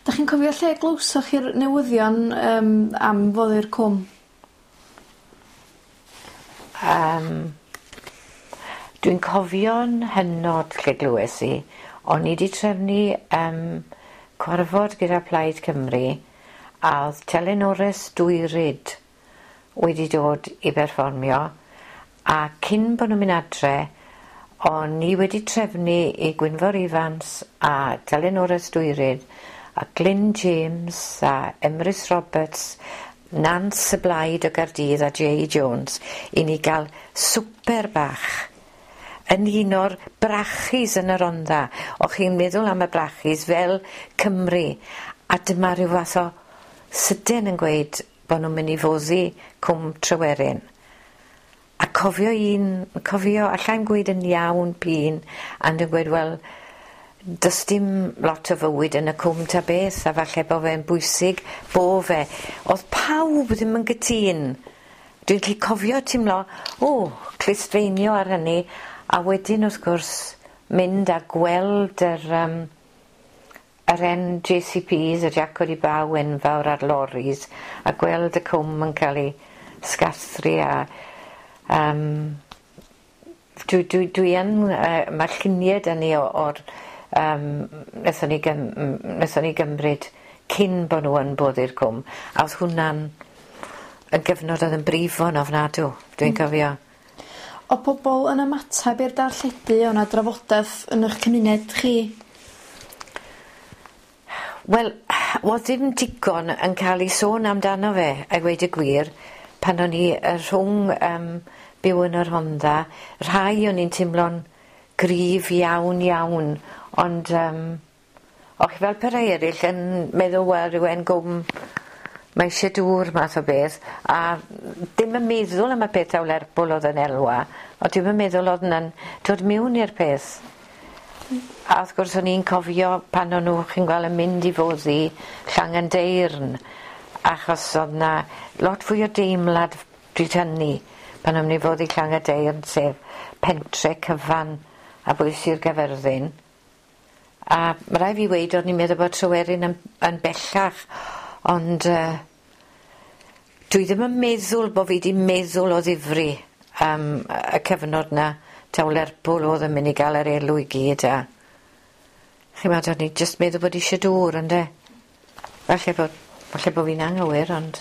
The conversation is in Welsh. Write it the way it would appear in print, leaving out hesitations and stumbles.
'Dach chi'n cofio lle glywsoch chi'r newyddion yym am foddi'r cwm? Yym dwi'n cofio'n hynod lle glywes i o'n i 'di trefnu yym cwarfod gyda Plaid Cymru a o'dd telenores Dwyryd wedi dod i berfformio a cyn bo' nw'n myn' adre o'n i wedi trefnu i Gwynfor Evans a Telynores Dwyryd a Glyn James a Emrys Roberts Nance y Blaid o Gardydd a Jay Jones i ni ga'l swper bach yn un o'r brachis yn y Rondda. O'ch chi'n meddwl am y brachis fel Cymru a dyma rhyw fath o sydyn yn gweud bo' nw'n myn' i foddi Cwm Tryweryn. A cofio un cofio allai'm gweud yn iawn p'un and yn gweud wel do's dim lot o fywyd yn y cwm ta beth a falle bo' fe'n bwysig bo' fe. O'dd pawb ddim yn gytûn. Dwi'n gallu cofio timlo o clustfeinio ar hynny a wedyn wrth gwrs mynd a gweld yr yym yr 'en Jay See Pees y Jac O'r Baw enfawr a'r loris a gweld y cwm yn ca'l 'i sgathru a yym dwi dwi dwi yn yy ma' llunie 'dyn ni o o'r yym nethon ni gym- m- nethon ni gymryd cyn bo' nw yn boddi'r cwm a o'dd hwnna'n yn gyfnod o'dd yn brifo'n ofnadw dwi'n cofio. O' pobol yn ymatab i'r darlledu o' 'na drafodeth yn 'ych cymuned chi? Wel o'dd dim digon yn ca'l 'i sôn amdano fe a gweud y gwir pan o'n i yy rhwng yym byw yn y Rhondda rhai o'n i'n timlo'n gryf iawn iawn ond yym o'ch chi fel pe rai eryll yn meddwl wel ryw 'en gwm mae isie dŵr math o beth a dim yn meddwl am y peth taw Lerpwl o'dd yn elwa on' dwi'm yn meddwl o'dd wnna'n dod miwn i'r peth. A wrth gwrs o'n i'n cofio pan o'n nw chi'n gweld yn mynd i foddi Llangyndeyrn achos o'dd 'na lot fwy o deimlad pryd hynny pan o'n myn' i foddi Llangyndeyrn sef pentre cyfan a bwys Sir Gafyrddin. A ma' rai' fi weud o'n i'n meddwl bod Tryweryn yn yn bellach ond yy dwi ddim yn meddwl bo' fi 'di meddwl o ddifri am y cyfnod 'na taw Lerpwl o'dd yn myn' i ga'l yr elw i gyd a ch'mod o'n i jyst meddwl bod isie dŵr ynde? Falle bod falle bo' fi'n anghywir ond...